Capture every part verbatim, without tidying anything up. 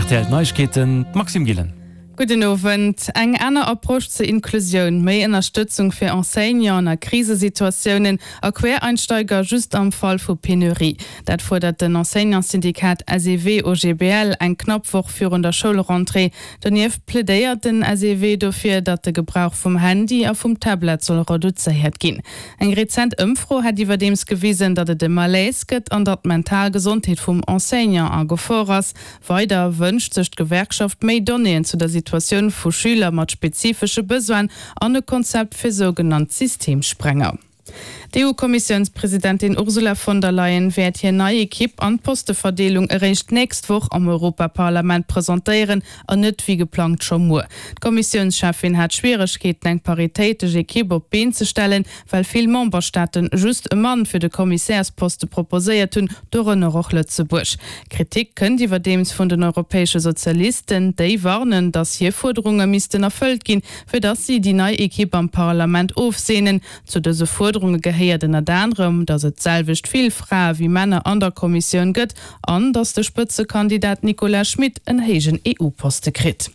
R T L Neiegkeeten, Maxime Gillen. Gudden Owend. Eng aner Approche zur Inklusioun, méi Ënnerstëtzung fir Enseignanten a Krisesituatiounen a Quereinsteiger just am Fall vu Penurie. Dat fuerdert den Enseignantssyndikat S E W O G B L eng knapp Woch virun der Schoulrentrée. Donieft plädéiert den S E W dofir, datt de Gebrauch vum Handy a vum Tablet soll reduzéiert ginn. Eng rezent Ëmfro hätt iwwerdeems gewisen, datt et e Malaise gëtt an datt d'mental Gesondheet vum Enseignant a Gefor ass. Weider wënscht sech d'Gewerkschaft méi Donnéeën zu der Situatioun vu Schüler mat spezifesche Besoinen an e Konzept fir sougenannt Systemsprenger. D'E U-Kommissiounspresidentin Ursula von der Leyen wäert hir nei Ekipp an d'Posteverdeelung eréischt d'nächst Woch am Europaparlament presentéieren an net wéi geplangt scho muer. D'Kommissiounscheffin hat Schwieregkeeten, eng paritéitesch Ekipp op d'Been ze stellen, well vill Memberstaate just e Mann fir de Kommissärsposte proposéiert hunn, dorënner och Lëtzebuerg. Kritik kënnt iwwerdeems vun den europäesche Sozialisten, déi warnen, datt hir Fuerderunge missten erfëllt ginn, fir datt si déi nei Ekipp am Parlament ofseenen. Zu dëse Fuerderunge gehéiert ënnert anerem, datt et d'selwecht vill Frae wéi Männer an der Kommissioun gëtt an datt de Spëtzekandidat Nicolas Schmit en héijen E U-Poste kritt.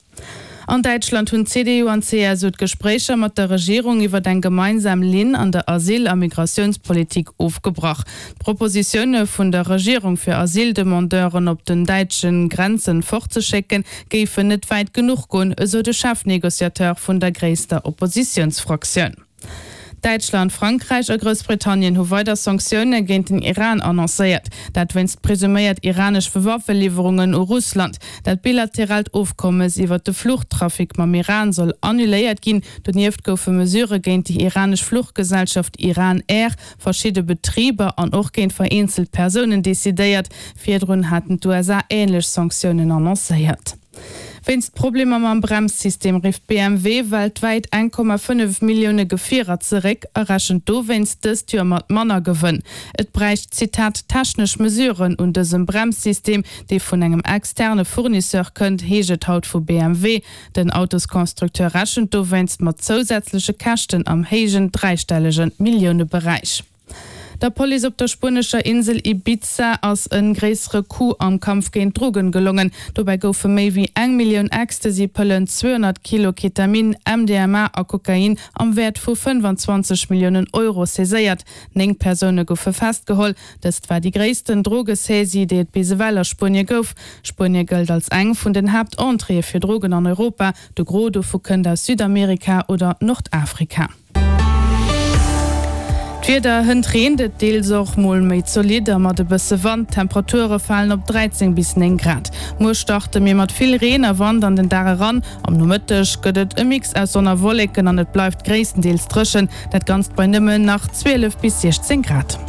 An Däitschland hunn C D U an C S U d'Gespréicher mat der Regierung iwwer eng gemeinsam Linn an der Asyl a Migratiounspolitik ofgebrach. D'Propositioune vun der Regierung fir Asyldemandeuren op den däitsche Grenze fortzeschécken, géifen net wäit genuch goen, esou de Chefnegociateur vun der gréisster Oppositiounsfraktioun. Däitschland, Frankräich a Groussbritannien hu weider Sanktioune géint den Iran annoncéiert. Dat wéinst presuméiert iranesche Waffeliwwerungen u Russland. Dat bilateraalt Ofkommes iwwer de Fluchtrafic mam Iran soll annuléiert ginn. Donieft goufe Mesurë géint déi iranesch Fluchgesellschaft Iran Air, verschidde Betriber an och géint vereenzelt Persounen decidéiert. Virdrun haten d'U S A änlech Sanktiounen annoncéiert. Wéinst Problemer mam Bremssystem rifft B M W weltwäit eng Komma fënnef Millioune Gefierer zeréck a rechent dowéinst dëst Joer mat manner Gewënn. Et bräicht, Zitat, technesch Mesuren un dësem Bremssystem, dee vun engem externe Fournisseur kënnt, heescht et haut vu B M W. Den Autosconstructeur rechent dowéinst mat zousätzleche Käschten am héijen dräistellege Milliouneberäich. Der Police op der spuenescher Insel Ibiza ass e gréissere Coup am Kampf géint Drogen gelongen. Dobäi goufe méi wéi eng Millioun Ecstasy-Pëllen, zweehonnert Kilo Ketamin, M D M A a Kokain am Wäert vu fënnefanzwanzeg Milliounen Euro saiséiert. Néng Persoune goufe festgeholl. Dëst war déi gréissten Drogesaisie, déi et bis ewell a Spuenie gouf. Spuenie gëllt als eng vun den Haaptentréeë fir Drogen an Europa. De Gros dovu kënnt aus Südamerika oder Nordafrika. D'Wieder: Hënt reent et deels och mol méi zolidd a mat e bësse Wand. D'Temperature falen op dräizéng bis néng Grad. Muer starte mir mat vill Reen a Wand an den Dag eran. Am Nomëtteg gëtt et e Mix aus Sonn a Wolleken an et bleift gréisstendeels dréchen. Dat Ganzt bei nëmmen nach zwielef bis siechzéng Grad.